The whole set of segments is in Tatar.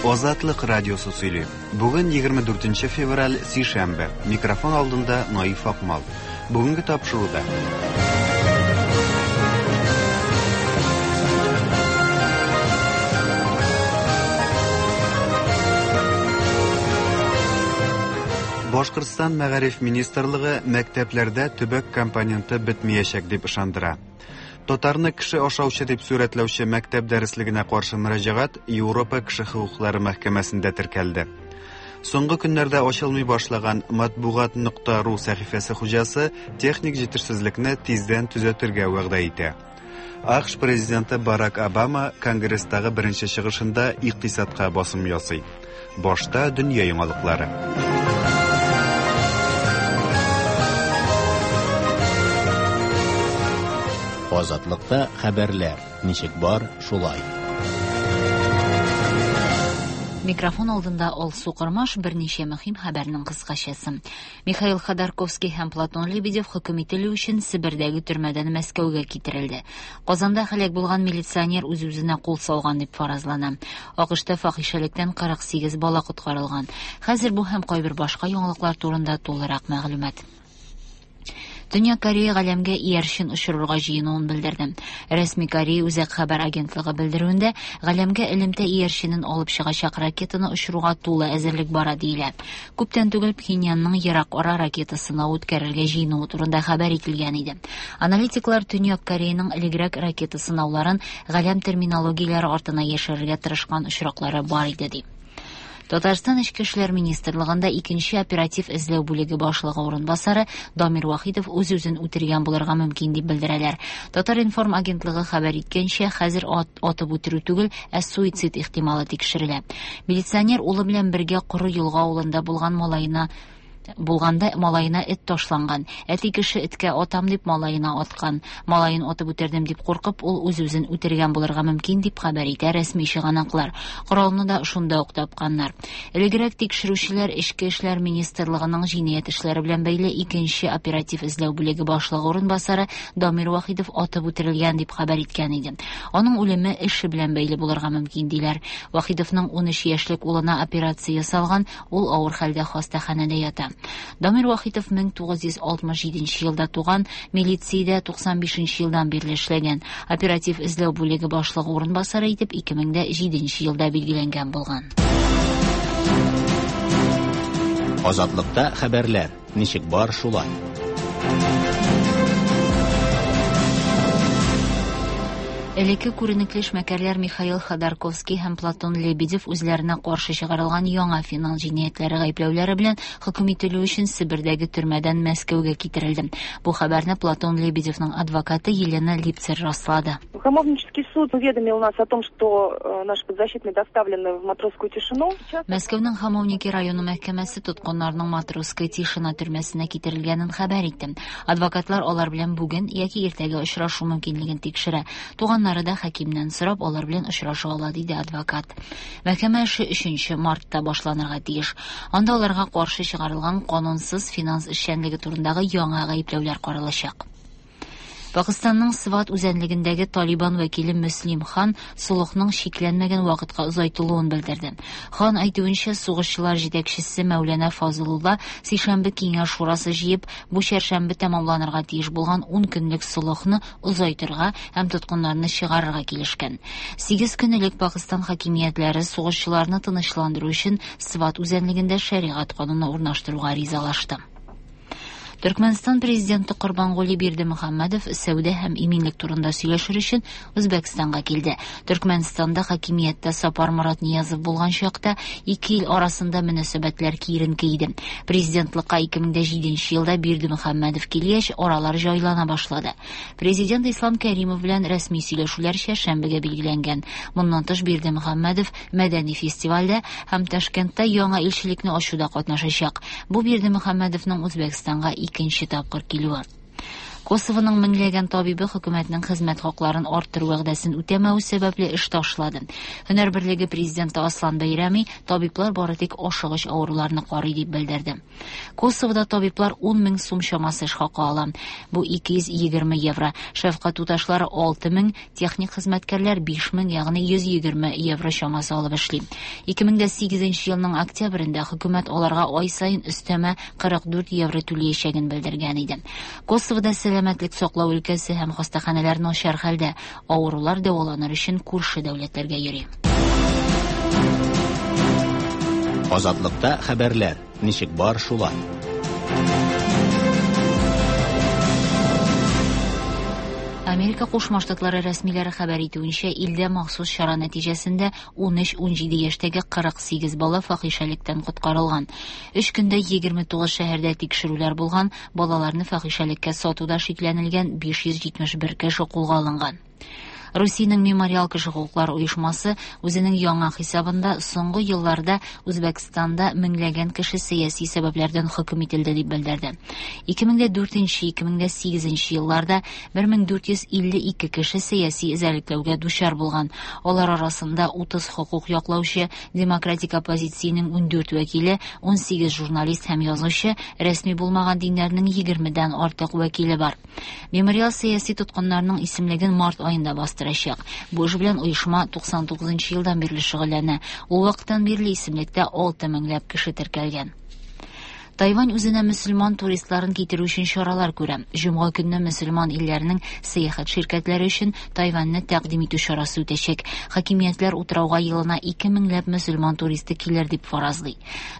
Азатлык радиосы сөйли. Бүген 24 февраль, сишәмбе. Микрофон алдында Наиф Акмал. Бүгенге тапшыруда. Башкортстан мәгариф министрлыгы мәктәпләрдә төбәк компоненты бетмәячәк дип ышандыра. Татарны кеше ашаучы дип сурәтләүче мәктәп дәреслегенә каршы мөрәҗәгать Европа кеше хокуклары мәхкәмәсендә теркәлде. Соңгы көннәрдә ачылмый башлаган матбугат.ру сәхифәсе хуҗасы техник җитешсезлекне тиздән төзәтергә вәгъдә итә. АКШ президенты Барак Обама Конгресстагы беренче чыгышында икътисадка басым ясый. Башта дөнья яңалыклары. Азатлыкта хәбәрләр ничек бар, шулай. Микрофон алдында Алсу Кормаш берничә мөһим хәбәрнең кыскачасы. Михаил Ходорковский һәм Платон Лебедев хөкем ителү өчен Себердәге төрмәдән Мәскәүгә китерелде. Казанда һәлак булган милиционер үз-үзенә кул салган дип фаразлана. АКШта фахишәлектән 48 бала коткарылган. Хәзер бу һәм кайбер башка яңалыклар турында тулырак мәгълүмат. Төньяк Корея галәмгә иярчен очырырга җыенуын белдерде. Рәсми Корея Үзәк хәбәр агентлыгы белдерүендә галәмгә элемтә иярченен алып чыгачак ракетаны очыруга тулы әзерлек бара диелә. Күптән түгел Пхеньянның ерак ара ракета сынавы үткәрергә җыенуы турында хәбәр ителгән иде. Аналитиклар Төньяк Кореяның элегрәк ракета сынауларын галәм терминологияләре артына яшерергә тырышкан очраклары бар иде ди. Татарстан Эчке эшләр министрлыгында икенче оператив эзләү бүлеге башлыгы урынбасары Дамир Вахитов үз-үзен үтергән булырга мөмкин дип белдерәләр. Татар-информ агентлыгы хәбәр иткәнчә, хәзер атып үтерү түгел, ә суицид ихтималы тикшерелә. Милиционер улы белән бергә Коры Елга авылында булган малаена булганда малаена эт ташланган. Әти кеше эткә атам дип малаена аткан. Малаен атып үтердем дип куркып, ул үз-үзен үтергән булырга мөмкин дип хәбәр итә рәсми чыганаклар. Коралны да шунда ук тапканнар. Элегрәк тикшерүчеләр Эчке эшләр министрлыгының җинаять эшләре белән бәйле икенче оператив эзләү бүлеге башлыгы урынбасары Дамир Вахитов атып үтерелгән дип хәбәр иткән иде. Аның үлеме эше белән бәйле булырга мөмкин диләр. Вахитовның 13 яшьлек улына операция ясалган, ул авыр хәлдә хастаханәдә ята. Дамир Вахитов 1967 елда туган, милициядә 95 елдан бирле эшләгән. Оператив эзләү бүлеге башлыгы урынбасары итеп 2007 елда билгеләнгән булган. Азатлыкта хәбәрләр ничек бар, шулай. Элекке күренекле эшмәкәрләр Михаил Ходорковский һәм Платон Лебедев үзләренә каршы чыгарылган яңа финанс җинаятьләре гаепләүләре белән хөкем ителү өчен Себердәге төрмәдән Мәскәүгә китерелде. Бу хәбәрне Платон Лебедевның адвокаты Елена Липцер раслады. Хамовнический суд уведомил нас о том, что наши подзащитные доставлены в Матросскую тишину. Мәскәүнең Хамовники районы мәхкәмәсе тоткыннарның Матросская тишина төрмәсенә китерелгәнен хәбәр итте. Адвокатлар алар белән бүген яки иртәгә очрашу мөмкинлеген тикшерә. Туганнары да хакимнән сорап алар белән очраша ала, диде адвокат. Мәхкәмә эше 3 мартта башланырга тиеш. Анда аларга каршы чыгарылган канунсыз финанс эшчәнлеге турындагы яңа гаепләүләр каралачак. Пакистанның Сват үзәнлегендәге Талибан вәкиле Мөслим хан солыхның чикләнмәгән вакытка озайтылуын белдерде. Хан әйтүенчә, сугышчылар җитәкчесе Мәүләнә Фазылулла сишәмбе киңәш шурасы җыеп, бу чәршәмбе тәмамланырга тиеш булган 10 көнлек солыхны озайтырга һәм тоткыннарны чыгарырга килешкән. 8 көн элек Пакистан хакимиятләре сугышчыларны тынычландыру өчен Сват үзәнлегендә шәригать кануны урнаштыруга ризалашты. Төркмәнстан президенты Корбангули Бердымөхәммәдов сәүдә һәм иминлек турында сөйләшер өчен Үзбәкстанга килде. Төркмәнстанда хакимияттә Сапар Морат Ниязов булган чакта ике ил арасында мөнәсәбәтләр киеренке иде. Президентлыкка 2007 елда Бердымөхәммәдов килгәч, аралар җайлана башлады. Президент Ислам Кәримов белән рәсми сөйләшүләр чәршәмбегә билгеләнгән. Моннан тыш Бердымөхәммәдов мәдәни фестивальдә һәм Ташкентта яңа илчелекне ачуда катнашачак. Бу Бердымөхәммәдовның Үзбәкстанга икенче тапкыр килүе. Косовоның меңләгән табибы хөкүмәтнең хезмәт хакларын арттыру вәгъдәсен үтәмәве сәбәпле эш ташлады. Һөнәр берлеге президенты Аслан Бәйрәми табиблар бары тик ашыгыч авыруларны карый дип белдерде. Косовода табиблар 10 мең сум чамасы эш хакы ала. Бу 220 евро. Шәфкать туташлары 6 мең, техник хезмәткәрләр 5 мең, ягъни 120 евро чамасы алып эшли. 2008 елның октябрендә хөкүмәт аларга ай саен өстәмә 44 евро түләячәген белдергән иде. Косовода сәламәтлек саклау өлкәсе һәм хастаханәләр начар хәлдә. Авырулар дәваланыр өчен күрше дәүләтләргә йөри. Азатлыкта хәбәрләр ничек бар шулай. Америка Кушма Штатлары рәсмиләре хәбәр итүенчә, илдә махсус чара нәтиҗәсендә 13-17 яшьтәге 48 бала фахишәлектән коткарылган. Өч көндә 29 шәһәрдә тикшерүләр булган, балаларны фахишәлеккә сатуда шикләнелгән 571 кеше кулга алынган. Русиянең Мемориал кеше хокуклары оешмасы үзенең яңа хисабында соңгы елларда Үзбәкстанда меңләгән кеше сәяси сәбәпләрдән хөкем ителде дип белдерде. 2004-2008 елларда 1452 кеше сәяси эзәрлекләүгә дучар булган. Алар арасында 30 хокук яклаучы, демократик оппозициянең 14 вәкиле, 18 журналист һәм язучы, рәсми булмаган диннәрнең 20дән артык вәкиле бар. Мемориал сәяси тоткыннарның исемлеген март аенда бастырачак. Бу эш белән оешма 99 елдан бирле шөгыльләнә. Ул вакыттан бирле исемлектә 6 меңләп кеше теркәлгән. Тайвань үзенә мөселман туристларын китерү өчен чаралар күрә. Җомга көнне мөселман илләренең сәяхәт ширкәтләре өчен Тайваньны тәкъдим итү чарасы үтәчәк. Хакимиятләр утрауга елына 2 меңләп мөселман туристы килер дип фаразлый.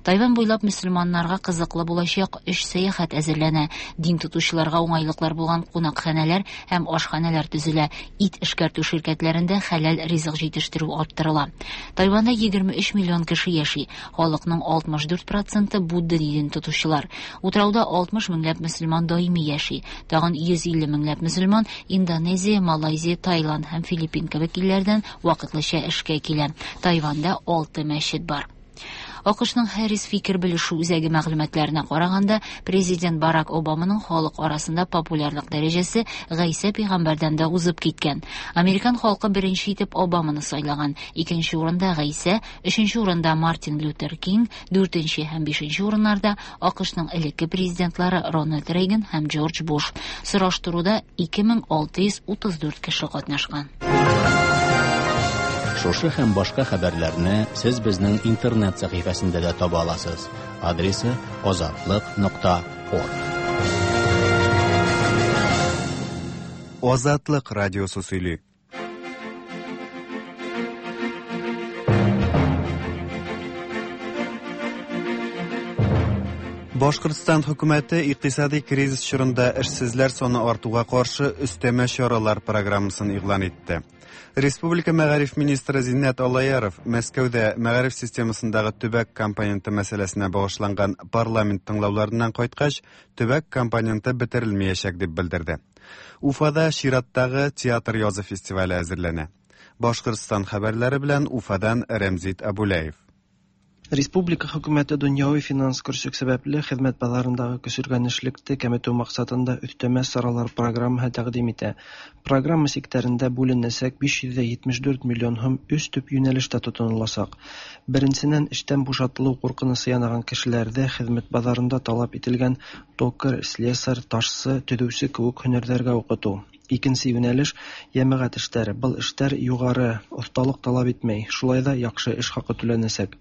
Тайвань буйлап мөселманнарга кызыклы булачак өч сәяхәт әзерләнә. Дин тотучыларга уңайлыклар булган кунакханәләр һәм ашханәләр төзелә. Ит эшкәртү ширкәтләрендә хәләл ризык җитештерү арттырыла. Тайваньда 23 миллион кеше яши. Халыкның 64 проценты Будда динен тотучылар. Утрауда 60 меңләп мөселман даими яши. Тагын 150 меңләп мөселман Индонезия, Малайзия, Таиланд һәм Филиппин кебек илләрдән вакытлыча эшкә килә. Тайваньда 6 мәчет бар. АКШның Harris фикер белешү үзәге мәгълүматларына караганда, президент Барак Обаманың халык арасында популярлык дәрәҗәсе Гайсә пәйгамбәрдән дә узып киткән. Американ халкы беренче итеп Обаманы сайлаган. Икенче урында Гайсә, өченче урында Мартин Лютер Кинг, дүртенче һәм бишенче урыннарда АКШның элекке президентлары Рональд Рейган һәм Джордж Буш. Сораштыруда 2634 кеше катнашкан. Шушы һәм башка хәбәрләрне сез безнең интернет сәхифәсендә дә таба аласыз. Адресы azatliq.org. Азатлык радиосы сөйли. Башкортстан хөкүмәте икътисади кризис чорында эшсезләр саны артуга каршы өстәмә чаралар программасын игълан итте. Республика мәгариф министры Зиннәт Аллаяров Мәскәүдә мәгариф системасындагы төбәк компоненты мәсьәләсенә багышланган парламент тыңлауларыннан кайткач, төбәк компоненты бетерелмәячәк дип белдерде. Уфада чираттагы театр язы фестивале әзерләнә. Башкортстан хәбәрләре белән Уфадан Рәмзит Абулаев. Республика хөкүмәте дөньяви финанс көрсек сәбәпле хезмәт базарындагы көсөргәнешлекте кәметү максатында өстәмә чаралар программаһы тәкъдим итә. Программа сиктәрендә бүленәсәк 574 миллион һум өч төп юнәлештә тотынылачак. Беренсеннән, эштән бушатылу куркынычы янаган кешеләрдә хезмәт базарында таләп ителгән токарь, слесарь, ташчы, төзүче кебек һөнәрләргә укыту. Икенче юнәлеш йәмәгать эшләре. Был эштәр югары осталык таләп итмәй, шулай да яхшы эш хакы түләнәсәк.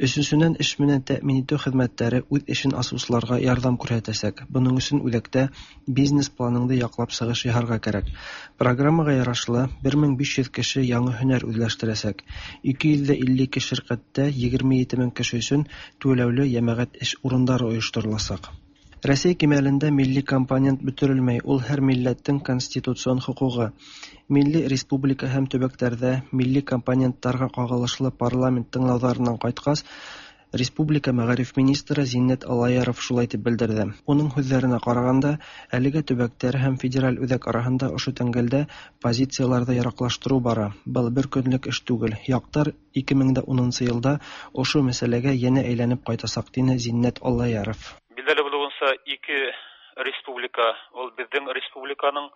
Өченченнән, эш менән тәэмин итү хезмәтләре үз эшен асучыларга ярдәм күрсәтәсәк. Буның өчен үзәктә бизнес планыңды яклап чыгыш яһарга кирәк. Программага ярашлы 1500 кеше яңа һөнәр үзләштерәсәк. 252 ширкәттә 27 мең кеше өчен түләүле йәмәгать эш урындары оештырылачак. Рәсәй кимәлендә милли компонент бөтерелмәй, ул һәр милләттең конституцион хокугы. Милли республика һәм төбәкләрдә милли компонентларга кагылышлы парламент тыңлауларыннан кайткач, Республика мәгариф министры Зиннәт Аллаяров шулай дип белдерде. Уның һүҙҙәренә ҡарағанда, әлегә төбәктәр һәм федераль үҙәк араһында ошо тәңгәлдә позицияларҙы яраҡлаштырыу бара. Был бер көнлөк эш түгел. Яҡтар 2010 йылда ошо мәсьәләгә йәнә әйләнеп ҡайтасаҡ, тине Зиннәт Аллаяров. Билдәле булыуынса, ике республика, ул безнең республиканың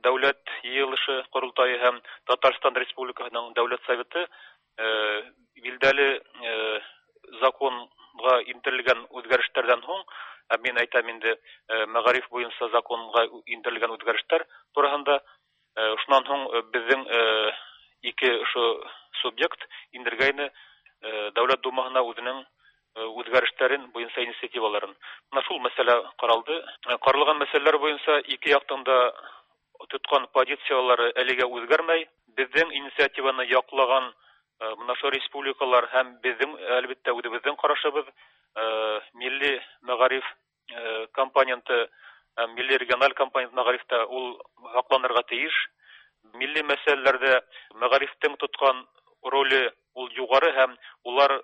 Дәүләт Йыелышы Корылтае һәм Татарстан Республикасының Дәүләт Советы билдәле законга индерелгән үзгәрешләрдән һуң, ә мин әйтәм инде мәгариф буенча законга индерелгән үзгәрешләр турысында, шуннан һуң безнең ике ошо субъект индергәйне Дәүләт Думаһына үзенең үзгәрешләрен буенча инициативаларын. Менә шул мәсьәлә каралды. Каралган мәсьәләләр буенча ике яктан да тоткан позицияләре әлегә үзгәрмәй. Безнең инициативаны яклаган менә шул республикалар һәм безнең, әлбәттә, үзебезнең карашыбыз милли мәгариф компоненты, милли региональ компонент мәгарифтә ул һакланырга тиеш. Милли мәсьәләләрдә мәгарифтең тоткан роле ул югары һәм улар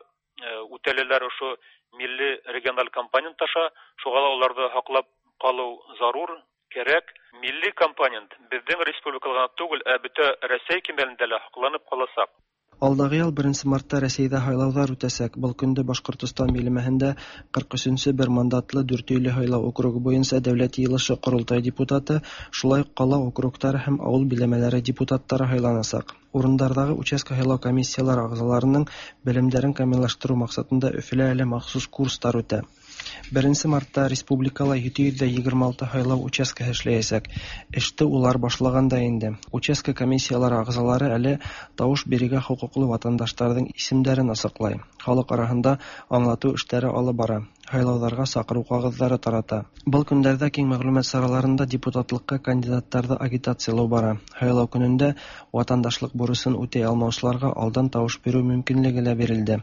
үтәләләр ошо милли региональ компонент аша, шуңа да уларны һаклап калу зарур, кирәк. Милли компонент безнең республикада гына түгел, ә бөтә Рәсәй кимәлендә лә һакланып калачак. Алдагы ел 1 мартта Рәсәйдә һайлауҙар үтәсәк. Был көндө Башҡортостан биләмәһендә 43-нсө бер мандатлы Дүртөйлө һайлау округы буйынса Дәүләт Йыйылышы Ҡоролтай депутаты, шулай уҡ ҡала округтары һәм ауыл биләмәләре депутаттары һайланасаҡ. Урындарҙағы участка һайлау комиссиялары ағзаларының белемдәрен камиллаштырыу маҡсатында Өфөлә әле махсус курстар үтә. 1 мартта республикала 726 һайлау участкаһы эшләйәсәк. Эште улар башлаған да инде. Участка комиссиялары ағзалары әле тауыш бирергә хоҡуҡлы ватандаштарҙың исемдәрен асыҡлай. Халыҡ араһында аңлатыу эштәре алып бара. Һайлауҙарға саҡырыу ҡағыҙҙары тарата. Был көндәрҙә киң мәғлүмәт сараларында депутатлыҡҡа кандидаттарҙы агитациялау бара. Һайлау көнөндә ватандашлыҡ бурысын үтәй алмаусыларға алдан тауыш биреү мөмкинлеге лә бирелде.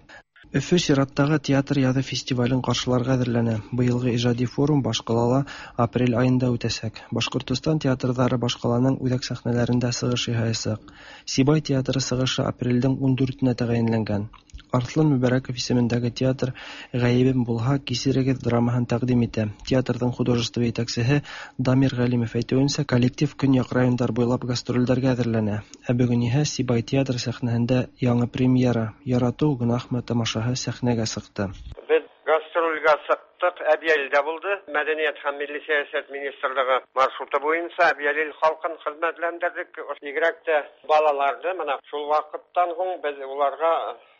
Өфө сираттағы театр яҙы фестивален ҡаршыларға әҙерләнә. Быйылғы ижади форум баш ҡалала апрель айында үтәсәк. Башҡортостан театрҙары баш ҡаланың үҙәк сәхнәләрендә сығыш яһаясаҡ. Сибай театры сығышы апрелдең 14-нә тәғәйенләнгән. Арҫлан Мөбәрәков исемендәге театр «Ғәйебем булһа, кисерегеҙ» драмаһын тәҡдим итә. Театрҙың художество етәксеһе Дамир Ғәлимов әйтеүенсә, коллектив көньяҡ райондар буйлап гастролдәргә әҙерләнә. Ә бөгөн иһә Сибай театр сәхнәһендә яңы премьера «Яратыу гонаһмы» тамашаһы сәхнәгә сыҡты. Беҙ гастролгә сыҡтыҡ, Әбйәлилдә булды. Мәҙәниәт һәм милли сәйәсәт министрлығы маршруты буйынса Әбйәлил халҡын хеҙмәтләндерҙек. Бигерәк тә балаларҙы, мына шул ваҡыттан һуң беҙ уларға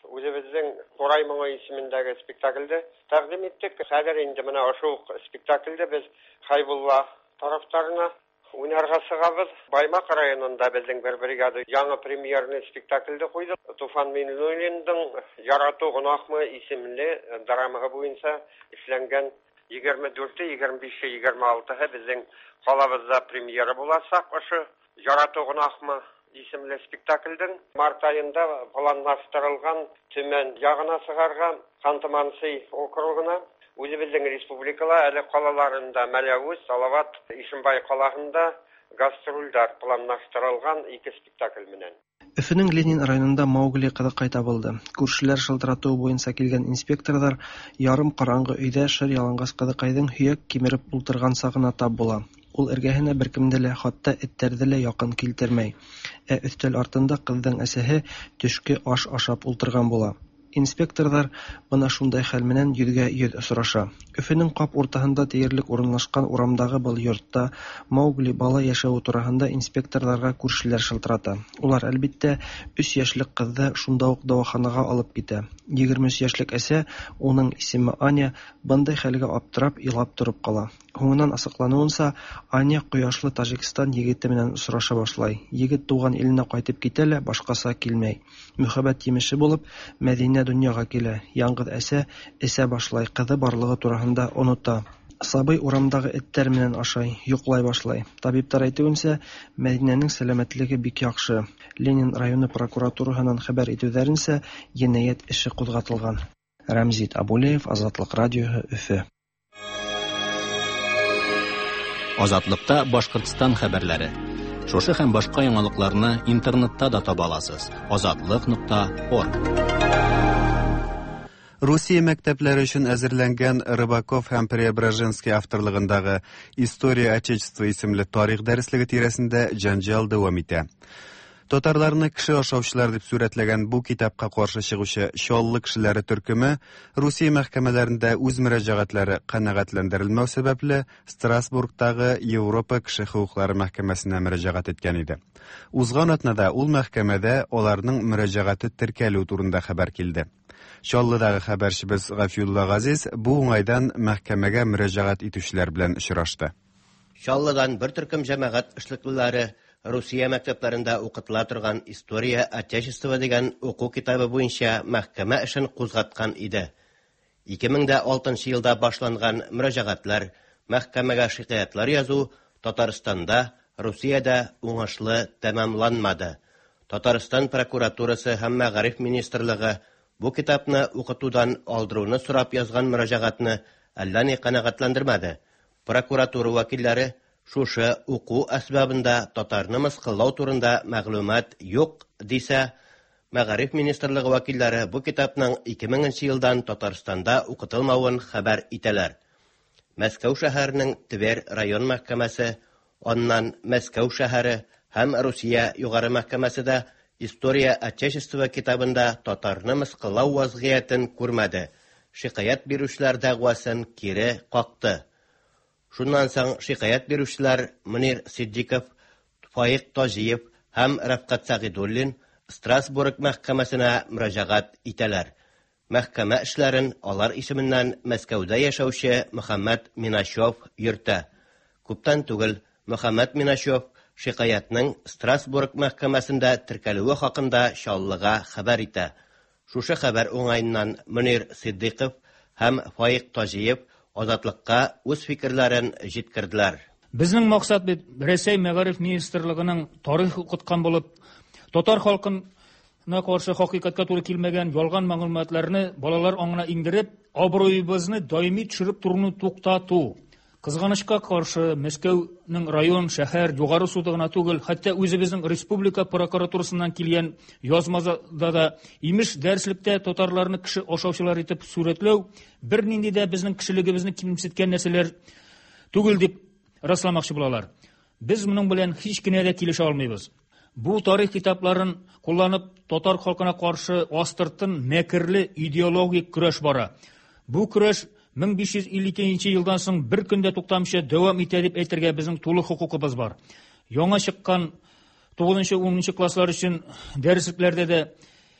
үҙебеҙҙең Ҡурай моңо исемендәге спектаклде тәҡдим иттек. Хәҙер инде мына ошо уҡ спектаклде беҙ Хәйбулла тарафтарына уйнарға сығабыҙ. Баймаҡ районында беҙҙең бер бригада яңы премьерный спектаклде ҡуйҙы. Туфан Миңнуллиндың «Яратыу гонаһмы» исемле драмаһы буйынса эшләнгән 24-е, 25-е, 26-һы беҙҙең ҡалабыҙҙа премьера буласаҡ. Ошо «Яратыу гонаһмы» исемле спектаклдең март айында планлаштырылған Төмән яғына сығарға, Ханты-Мансий округына. Үҙебеҙҙең республикала әле ҡалаларында Мәләүез, Салават, Ишембай ҡалаһында гастролдәр планлаштырылған ике спектакль менән. Өфөнөң Ленин районында Маугли ҡыҙыҡай табылды. Күршеләр шылтыратыуы буйынса килгән инспекторҙар ярым ҡараңғы өйҙә шыр яланғас ҡыҙыҡайҙың һөйәк кимереп ултырған сағына тап була. Ул эргәһенә бер кемде лә, хатта эттәрҙе лә яҡын килтермәй. Ә өҫтәл артында ҡыҙҙың әсәһе төшкө аш ашап ултырған була. Инспекторҙар бына шундай хәл менән йөҙгә йөҙ осраша. Өфөнөң ҡап уртаһында тиерлек урынлашҡан урамдағы был йортта Маугли бала йәшәүе тураһында инспекторҙарға күршеләр шылтырата. Улар, әлбиттә, 3 йәшлек ҡыҙҙы шунда уҡ дауаханаға алып китә. 23 йәшлек әсә, уның исеме Аня, бындай хәлгә аптырап, илап тороп ҡала. Һуңынан асыҡланыуынса, Аня ҡояшлы Тажикстан егете менән осраша башлай. Егет тыуған иленә ҡайтып китә лә башҡаса килмәй. Мөхәббәт емеше булып, Мәҙинә донъяға килә. Яңғыҙ әсә эсә башлай, ҡыҙы барлығы тураһында онота. Сабый урамдағы эттәр менән ашай, йоҡлай башлай. Табиптар әйтеүенсә, Мәҙинәнең сәләмәтлеге бик яҡшы. Ленин районы прокуратураһынан хәбәр итеүҙәренсә, енәйәт эше ҡуҙғатылған. Рәмзит Абулеев, Азатлыҡ радиоһы, Өфө. Азатлыкта Башҡортостан хәбәрләре. Шушы һәм башҡа яңалыҡларны интернетта да таба аласыз. Азатлык нокта орг. Русия мәктәпләре өчен әзерләнгән Рыбаков һәм Преображенский авторлыгындагы История Отечества исемле тарих дәреслеге тирәсендә җанҗал дәвам итә. Татарларны кеше ашаучылар дип сурәтләгән бу китапка каршы чыгучы Чаллы кешеләре төркеме Русия мәхкәмәләрендә үз мөрәҗәгатьләре канәгатьләндерелмәү сәбәпле Страсбургтагы Европа кеше хокуклары мәхкәмәсенә мөрәҗәгать иткән иде. Узган атнада ул мәхкәмәдә аларның мөрәҗәгате теркәлү турында хәбәр килде. Чаллыдагы хәбәрчебез Гафиулла Газиз бу уңайдан мәхкәмәгә мөрәҗәгать итүчеләр белән очрашты. Чаллыдан бер төркем җәмәгать эшлеклеләре Русия мәктәпләрендә укытыла торган История Отечества дигән уку китабы буенча мәхкәмә эшен кузгаткан иде. 2006 елда башланган мөрәҗәгатьләр, мәхкәмәгә шикаятьләр язу Татарстанда, Русиядә уңышлы тәмамланмады. Татарстан прокуратурасы һәм мәгариф министрлыгы бу китапны укытудан алдыруны сорап язган мөрәҗәгатьне әллә ни канәгатьләндермәде. Прокуратура вәкилләре шушы уку әсбабында татарны мыскыллау турында мәгълүмат юк дисә, мәгариф министрлыгы вәкилләре бу китапның 2000 елдан Татарстанда укытылмавын хәбәр итәләр. Мәскәү шәһәренең Тверь район мәхкәмәсе, аннан Мәскәү шәһәре һәм Русия югары мәхкәмәсе дә История Отечества китабында татарны мыскыллау вазгыятен күрмәде. Шикаять бирүчеләр дәгъвасын кире какты. Шуннан соң шикаять бирүчеләр Мөнир Ситдиков, Фаик Таҗиев һәм Рәфкать Сәгыйдуллин Страсбург мәхкәмәсенә мөрәҗәгать итәләр. Мәхкәмә эшләрен алар исеменнән Мәскәүдә яшәүче Мөхәммәт Миначев йөртә. Күптән түгел Мөхәммәт Миначев шикаятьнең Страсбург мәхкәмәсендә теркәлүе хакында Чаллыга хәбәр итә. Шушы хәбәр уңаеннан Мөнир Ситдыйков һәм Фаик Таҗиев Азатлыкка үз фикерләрен җиткерделәр. Безнең максат бит Рәсәй мәгариф министрлыгының тарих укыткан булып, татар халкына каршы хакыйкатькә туры килмәгән ялган мәгълүматларны балалар аңына иңдереп, абруебызны даими төшереп торуны туктату. Кызганычка каршы, Мәскәүнең район, шәһәр, югары суды гына түгел, хәтта үзебезнең республика прокуратурасыннан килгән язмада да имеш дәреслектә татарларны кеше ашаучылар итеп сурәтләү бернинди дә безнең кешелегебезне кимсеткән нәрсәләр түгел дип расламакчы булалар. Без моның белән һич кенә дә килешә алмыйбыз. Бу тарих китапларын кулланып татар халкына каршы астыртын мәкерле идеологик көрәш бара. Бу көрәш 1552 елдан соң бер көндә туктамыйча дәвам итә дип әйтергә безнең тулы хокукыбыз бар. Яңа чыккан 9-10 класслар өчен дәреслекләрдә дә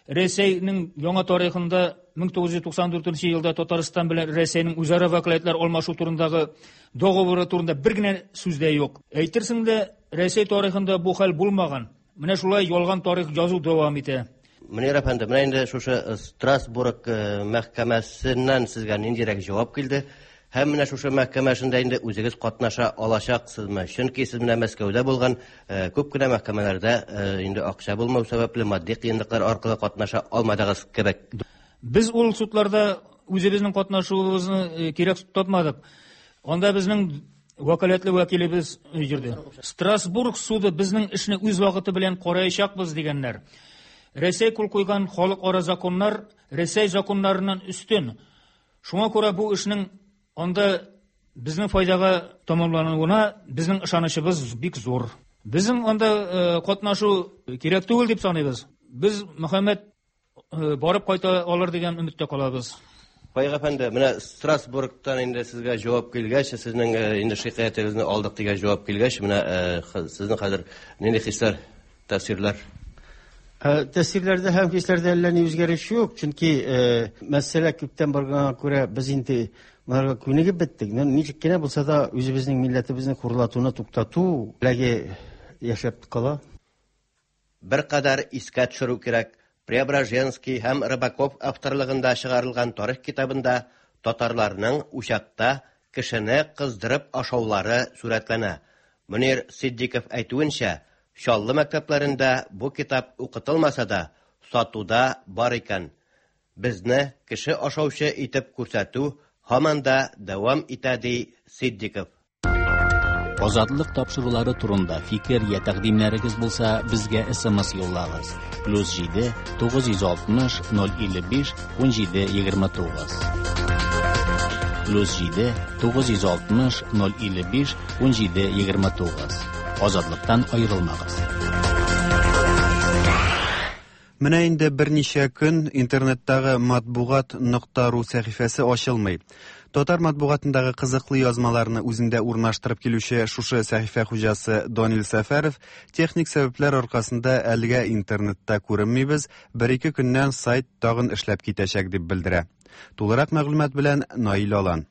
Рәсәйнең яңа тарихында 1994 елда Татарстан белән Рәсәйнең үзара вәкаләтләр алмашу турындагы договоры турында бер генә сүз дә юк. Әйтерсең дә, Рәсәй тарихында бу хәл булмаган. Менә шулай ялган тарих язу дәвам итә. Мөнир әфәнде, менә инде шушы Страсбург мәхкәмәсеннән сезгә ниндирәк җавап килде? Һәм менә шушы мәхкәмә эшендә инде үзегез катнаша алачаксызмы? Чөнки сез менә Мәскәүдә булган күп кенә мәхкәмәләрдә инде акча булмау сәбәпле матди кыенлыклар аркылы катнаша алмадыгыз кебек. Без ул судларда үзебезнең катнашуыбызны кирәк тапмадык. Анда безнең вәкаләтле вәкилебез йөрде. Страсбург суды безнең эшне үз вакыты белән караячакбыз дигәннәр. Рәсәй кул куйган халыкара законнар Рәсәй законнарыннан өстен. Шуңа күрә бу эшнең анда безнең файдага тәмамлануына безнең ышанычыбыз бик зур. Безнең анда катнашу кирәк түгел дип саныйбыз. Без Мөхәммәт барып кайта алыр дигән өметтә калабыз. Фаик әфәнде, менә Страсбургтан инде сезгә җавап килгәч, сезнең инде шикаятегезне алдык дигән җавап килгәч, менә сезнең хәзер нинди хисләр, тәэсирләр? Тәэсирләрдә һәм хисләрдә әллә ни үзгәреш юк, чөнки мәсьәлә күптән барганга күрә без инде моңарга күнегеп беттек. Ничек кенә булса да үзебезнең милләтебезне хурлатуны туктату теләге яшәп кала. Беркадәр искә төшерү кирәк, Преображенский һәм Рыбаков авторлыгында чыгарылган тарих китабында татарларның учакта кешене кыздырып ашаулары сурәтләнә. Мөнир Ситдиков әйтүенчә, Чаллы мәктәпләрендә бу китап укытылмаса да, сатуда бар икән. Безне кеше ашаучы итеп күрсәтү һаман да дәвам итә, ди Ситдиков. Азатлык тапшырулары турында фикер я тәкъдимнәрегез булса, безгә SMS юллагыз. +7 960 055 17 29. +7 960 055 17 29. Азатлыктан аерылмагыз. Менә инде берничә көн интернеттагы матбугат нокта ру сәхифәсе ачылмый. Татар матбугатындагы кызыклы язмаларны үзендә урнаштырып килүче шушы сәхифә хуҗасы Данил Сәфәров техник сәбәпләр аркасында әлегә интернетта күренмибез, бер-ике көннән сайт тагын эшләп китәчәк дип белдерә. Тулырак мәгълүмат белән Наил Алан.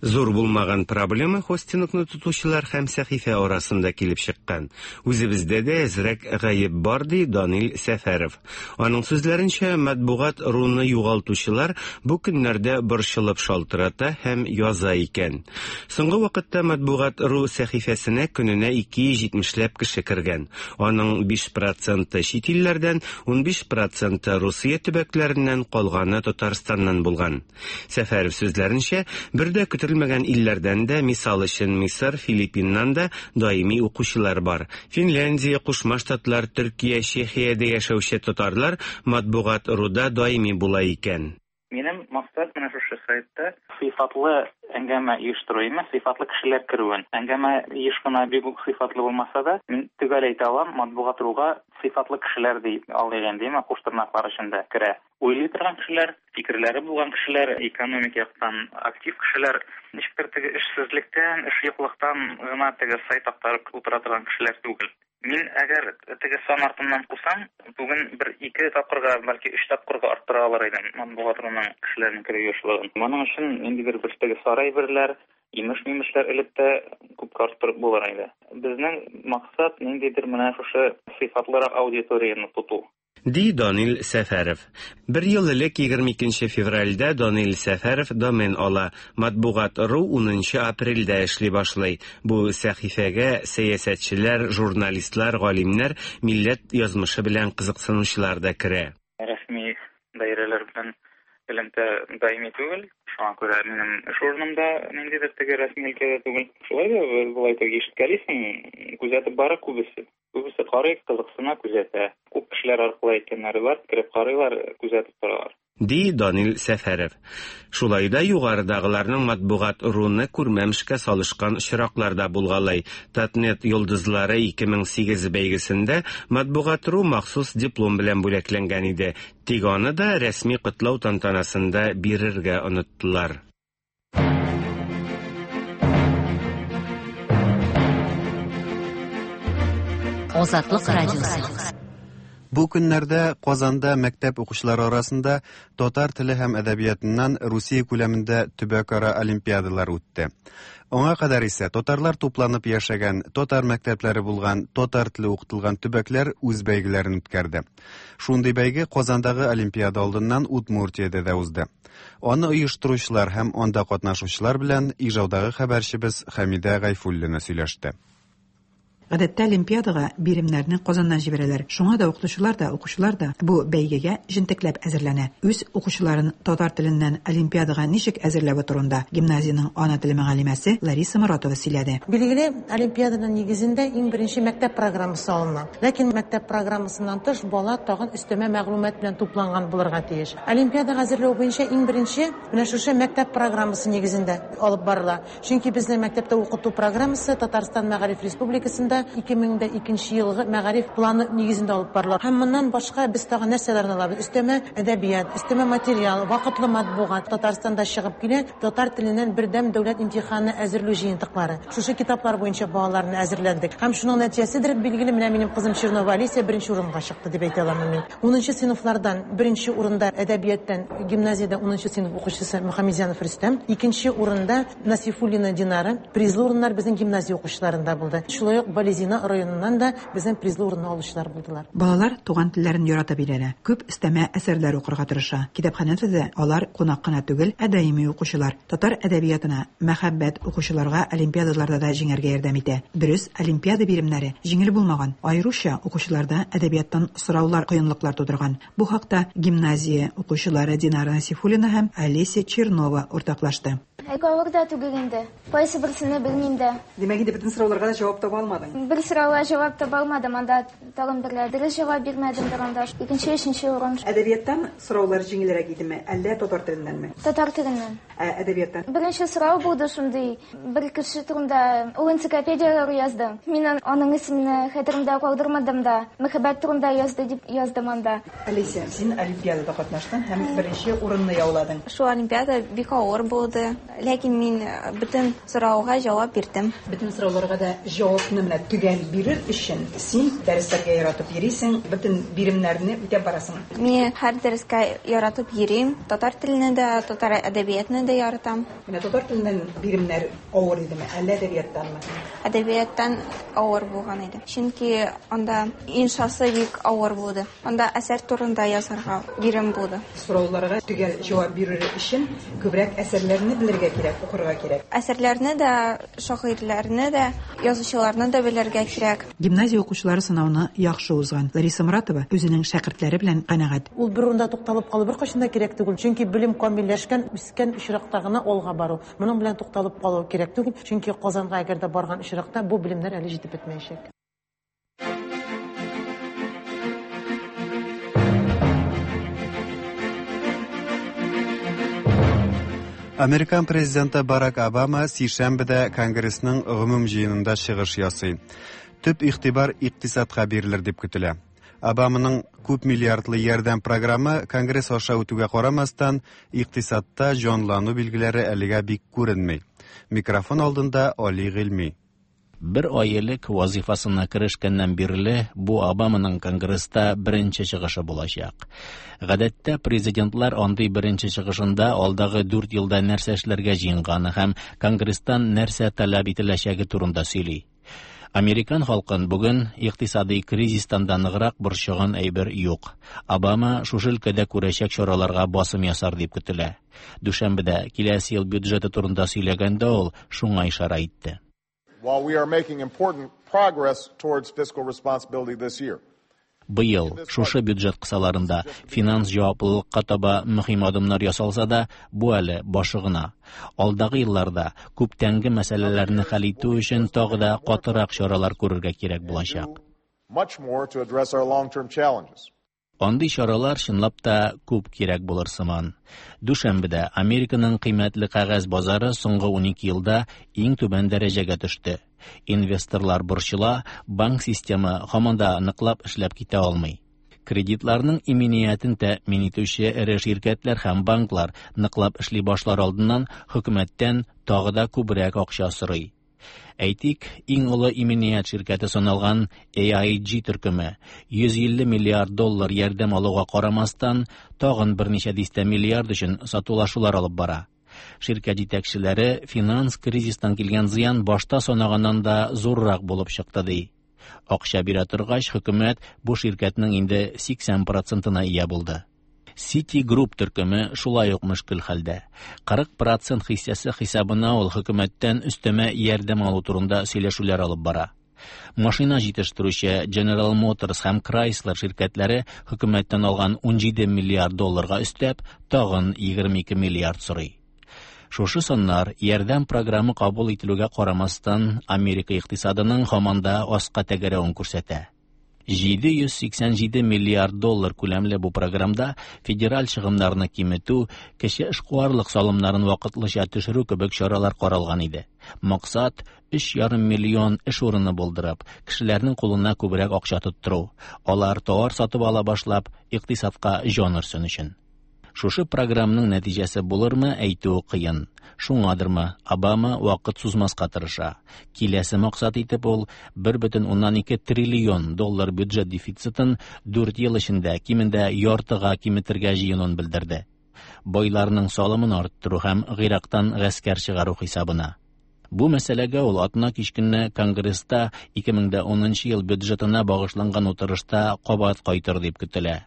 Зур булмаган проблема хостингны тотучылар һәм сәхифә арасында килеп чыккан. Үзебездә дә әзрәк гаеп бар, ди Данил Сәфәров. Аның сүзләренчә, матбугат руны югалтучылар бу көннәрдә борчылып шалтырата һәм яза икән. Соңгы вакытта матбугат ру сәхифәсенә көненә 270 ләп кеше кергән. Аның 5 проценты чит илләрдән, 15 проценты Русия төбәкләреннән, калганы Татарстаннан булган. Сәфәров сүзләренчә, бер дә көтелмәгән илләрдән дә, мисал өчен, Мисыр, Филиппиннан да даими укучылар бар. Финляндия, Кушма Штатлар, Төркия, Чехиядә яшәүче татарлар Матбугат руда даими була икән. Минем максат менә шушы сайтта сыйфатлы әңгәмә оештыру имә, сыйфатлы кешеләр керүен. Әңгәмә еш кына бик үк сыйфатлы булмаса да, мин төгәл әйтә алам, Матбугат руга сыйфатлы кешеләр ди алыйк инде, имә, куш тырнаклар эчендә керә. Уйлый торган кешеләр, фикерләре булган кешеләр, экономик яктан актив кешеләр, ничектер теге эшсезлектән, эш юклыктан гына теге сайт актарып утыра торган кешеләр түгел. Мин әгәр теге сан артыннан кусам, бүген бер-ике тапкырга, бәлки өч тапкырга арттыра алыр идем Матбугат руның кешеләрнең керү ешлыгын. Моның өчен ниндидер бер теге сары әйберләр, имеш-мимешләр элеп тә күпкә арттырып булыр иде. Безнең максат ниндидер менә шушы сыйфатлырак аудиторияне тоту. Ди Данил Сәфәров. Бер ел элек, 22 нче февральдә Данил Сәфәров домен ала. Матбугат ру унынчы апрельдә эшли башлый. Бу сәхифәгә сәясәтчеләр, журналистлар, галимнәр, милләт язмышы белән кызыксынучылар да керә. Рәсми даирәләр белән элемтә даими түгел, шуңа күрә минем эш урыным да ниндидер теге рәсми өлкәдә түгел. Шулай да болай теге ишеткәлисең, күзәтеп бара күбесе. Күбесе карый, кызыксына, күзәтә. Күп кешеләр аркылы әйткәннәре бар, кереп карыйлар, күзәтеп торалар. Ди Данил Сәфәров. Шулай да югарыдагыларның матбугат руны күрмәмешкә салышкан очраклар да булгалый. Татнет йолдызлары 2008 бәйгесендә Матбугат ру махсус диплом белән бүләкләнгән иде. Тик аны да рәсми котлау тантанасында бирергә оныттылар. Азатлык радиосы. Бу көннәрдә Казанда мәктәп укучылары арасында татар теле һәм әдәбиятыннан Русия күләмендә төбәкара олимпиадалар үтте. Аңа кадәр исә татарлар тупланып яшәгән, татар мәктәпләре булган, татар теле укытылган төбәкләр үз бәйгеләрен үткәрде. Шундый бәйге Казандагы олимпиада алдыннан Удмуртиядә дә узды. Аны оештыручылар һәм анда катнашучылар белән Ижаудагы хәбәрчебез Хәмидә Гайфуллина сөйләште. Гадәттә олимпиадага биремнәрне Казаннан җибәрәләр. Шуңа да укытучылар да, укучылар да бу бәйгегә җентекләп әзерләнә. Үз укучыларын татар теленнән олимпиадага ничек әзерләве турында гимназиянең ана теле мөгаллимәсе Лариса Моратова сөйләде. Билгеле, олимпиаданың нигезендә иң беренче мәктәп программасы алына. Ләкин мәктәп программасыннан тыш бала тагын өстәмә мәгълүмат белән тупланган булырга тиеш. Олимпиадага әзерләү буенча иң беренче менә шушы мәктәп программасы нигезендә алып барыла. Чөнки безнең мәктәптә укыту программасы Татарстан Мәгариф Республикасында 2002 нче елгы мәгариф планы нигезендә алып барыла. Һәм моннан башка без тагын нәрсәләрне алабыз? Өстәмә әдәбият, өстәмә материал, вакытлы матбугат Татарстанда чыгып килә, татар теленнән бердәм дәүләт имтиханына әзерлү җыентыклары. Шушы китаплар буенча балаларны әзерләдек. Һәм шуның нәтиҗәседер, билгеле, менә минем кызым Чернова Алисия беренче урынга чыкты дип әйтә аламын мин. Унынчы сыйныфлардан беренче урында әдәбияттан гимназиядә унынчы сыйныф укучысы Мөхәммәтзянов Рөстәм, икенче урында Насифуллина Динара. Призлы урыннар безнең гимназия укучыларында булды. Шулай ук Балезино районыннан да безнең призлы урынны алучылар булдылар. Балалар туган телләрен яратып өйрәнә, күп өстәмә әсәрләр укырга тырыша. Китапханәдә дә алар кунак кына түгел, ә даими укучылар. Татар әдәбиятына мәхәббәт укучыларга олимпиадаларда да җиңәргә ярдәм итә. Дөрес, олимпиада биремнәре җиңел булмаган, аеруча укучыларда әдәбияттан сораулар кыенлыклар тудырган. Бу хакта гимназия укучылары Динара Насифуллина һәм Олеся Чернова уртаклашты. Авыр да түгел инде. Кайсы берсене белмим дә. Димәк, инде бөтен сорауларга да җавап таба алмадың. Бер сорауга җавап таба алмадым, анда тагын бер дөрес җавап бирмәдем дә анда. Икенче, өченче урын. Әдәбияттан сораулар җиңелрәк идеме, әллә татар теленнәнме? Татар теленнән. Ә әдәбияттан? Беренче сорау булды шундый, бер кеше турында, ул энциклопедияләр язды. Мин аның исемене хәтеремдә калдырмадым да, мәхәббәт турында язды дип яздым анда. Алисә, син олимпиадада катнаштың һәм беренче урынны яуладың. Шул олимпиада бик авыр булды, ләкин мин бөтен сорауга җавап бирдем. Бөтен сорауларга да җавапны менә төгәл бирер өчен син дәресләргә яратып йөрисең, бөтен биремнәрне үтәп барасың. Мин һәр дәрескә яратып йөрим. Татар телене дә, татар әдәбиятны да яратам. Менә татар теленнән биремнәр авыр идеме, әллә әдәбияттанмы? Әдәбияттан авыр булган иде. Чөнки анда иншасы бик авыр булды. Анда әсәр турында язарга бирем булды. Сорауларга төгәл җавап бирер өчен күбрәк әсәрләрне белергә кирәк, укырга кирәк. Әсәрләрне дә, шагыйрьләрне дә, язучыларны да белергә кирәк. Гимназия укучылары сынауны яхшы узган. Лариса Моратова үзенең шәкертләре белән канәгать. Ул бер урында тукталып калу беркайчан да кирәк түгел, чөнки белем камилләшкән, үскән очракта гына алга бару. Моның белән тукталып калу кирәк түгел, чөнки Казанга әгәр дә барган очракта бу белемнәр әле җитеп бетмәячәк. Американ президенты Барак Обама сишәмбедә Конгрессның гомум җыенында чыгыш ясый. Төп игътибар икътисадка бирелер дип көтелә. Обаманың күп миллиардлы ярдәм програмы Конгресс аша үтүгә карамастан, икътисадта җанлану билгеләре әлегә бик күренми. Микрофон алдында Али Гыйльми. Бер ай элек вазифасына керешкәннән бирле бу Обаманың Конгресста беренче чыгышы булачак. Гадәттә президентлар андый беренче чыгышында алдагы 4 елда нәрсә эшләргә җыенганы һәм Конгресстан нәрсә таләп ителәчәге турында сөйли. Американ халкын бүген икътисадый кризистан да ныграк борчыган әйбер юк. Обама шушы өлкәдә күрәчәк чараларга басым ясар дип көтелә. Дүшәмбедә киләсе ел бюджеты турында сөйләгәндә ул шуңа ишарә итте. While we are making important progress towards fiscal responsibility this year. Быел шушы бюджет кысаларында финанс җаваплылыкка таба мөһим адымнар ясалса да, бу әле башы гына. Алдагы елларда күптәнге мәсьәләләрне хәл итү өчен тагы да катырак чаралар күрергә кирәк булачак. Much more to address our long-term challenges. Андый чаралар чынлап та күп кирәк булыр сыман. Дүшәмбедә Американың кыйммәтле кәгазь базары соңгы 12 елда иң түбән дәрәҗәгә төште. Инвесторлар борчыла, банк системы һаман да ныклап эшләп китә алмый. Кредитларның иминиятен тәэмин итүче эре ширкәтләр һәм банклар ныклап эшли башлар алдыннан хөкүмәттән тагы да күбрәк акча сорый. Әйтик, иң олы иминият ширкәте саналган AIG төркеме 150 миллиард доллар ярдәм алуга карамастан, тагын берничә дистә миллиард өчен сатулашулар алып бара. Ширкәт җитәкчеләре финанс кризистан килгән зыян башта санаганнан да зуррак булып чыкты ди. Акча бирә торгач, хөкүмәт бу ширкәтнең инде 80 процентына ия булды. Citigroup төркеме шулай ук мөшкел хәлдә. 40% хиссәсе хисабына ул хөкүмәттән өстәмә ярдәм алу турында сөйләшүләр алып бара. Машина җитештерүче General Motors һәм Chrysler ширкәтләре хөкүмәттән алган 17 миллиард долларга өстәп, тагын 22 миллиард сорый. Шушы саннар ярдәм програмы кабул ителүгә карамастан, Америка икътисадының һаман да аска тәгәрәвен күрсәтә. 787 миллиард доллар күләмле бу програмда федераль чыгымнарны киметү, кече эшкуарлык салымнарын вакытлыча төшерү кебек чаралар каралган иде. Максат 3,5 миллион эш урыны булдырып, кешеләрнең кулына күбрәк акча тоттыру. Алар товар сатып ала башлап, икътисадка җан өрсен өчен. Шушы програмның нәтиҗәсе булырмы, әйтүе кыен. Шуңадырмы, Обама вакыт сузмаска тырыша. Киләсе максат итеп ул 1,2 триллион доллар бюджет дефицитын 4 ел эчендә кимендә яртыга киметергә җыенуын белдерде. Байларның салымын арттыру һәм Гыйрактан гаскәр чыгару хисабына. Бу мәсьәләгә ул атна кич көнне Конгресста 2010 ел бюджетына багышланган утырышта кабат кайтыр дип көтелә.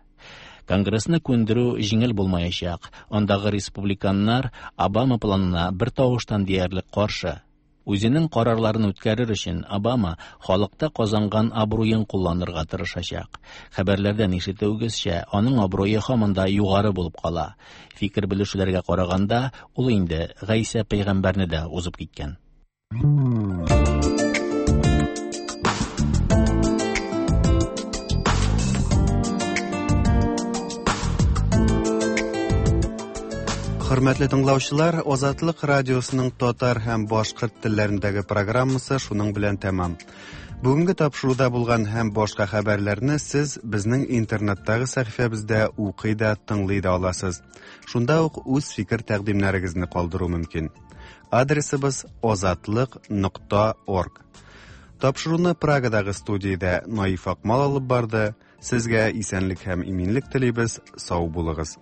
Конгрессны күндерү җиңел булмаячак. Андагы республиканнар Обама планына бер тавыштан диярлек каршы. Үзенең карарларын үткәрер өчен Обама халыкта казанган абруен кулланырга тырышачак. Хәбәрләрдән ишетүегезчә, аның абруе һаман да югары булып кала. Фикер белешүләргә караганда, ул инде Гайсә пәйгамбәрне дә узып киткән. Хөрмәтле тыңлаучылар, Азатлык радиосының татар һәм башкорт телләрендәге программасы шуның белән тәмам. Бүгенге тапшыруда булган һәм башка хәбәрләрне сез безнең интернеттагы сәхифәбездә укый да, тыңлый да аласыз. Шунда ук үз фикер-тәкъдимнәрегезне калдыру мөмкин. Адресыбыз азатлык.орг. Тапшыруны Прагадагы студиядә Наиф Акмал алып барды. Сезгә исәнлек һәм иминлек телибез. Сау булыгыз.